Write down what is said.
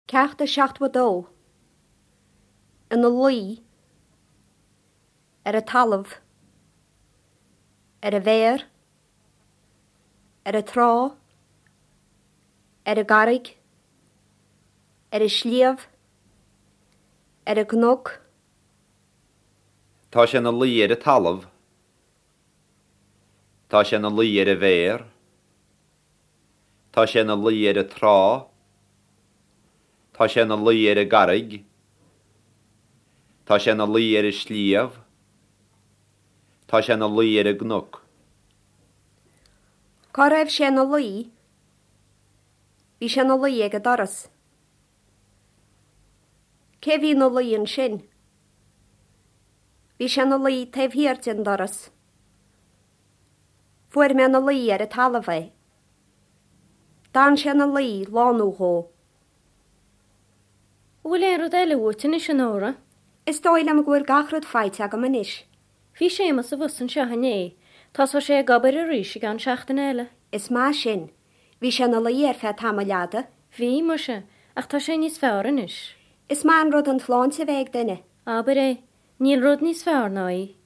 Ceacht a 72. Ina luí. Ar an talamh. Ar an bhféar. Ar an trá. Ar an gcarraig. Ar an sliabh. Ar an gcnoc. Tá sé ina luí ar an talamh. Tá sé ina luí ar an bhféar. Tá sé ina luí ar an trá. Tá sé ina luí ar an gcarraig. Tá sé ina luí ar an sliabh. Tá sé ina luí ar an gcnoc. Cá raibh sé ina luí? Bhí sé ina luí ag an doras. Cé bhí ina luí ansin? Bhí sé ina luí taobh thiar den doras. Fuair mé ina luí ar an talamh é. D'fhan sé ina luí lá nó dhó. An bhfuil aon rud eile uait anois, a Nóra? Is dóigh liom go bhfuil gach rud faighte agam anois. Bhí Séamus abhus anseo inné. Tosóidh sé ag obair arís i gceann seachtaine eile. Is maith sin. Bhí sé ina luí ar feadh tamaill fhada. Bhí, muise, ach tá sé níos fearr anois. Is maith an rud an tsláinte a bheith ag duine. Abair é. Níl rud níos fearr ná í.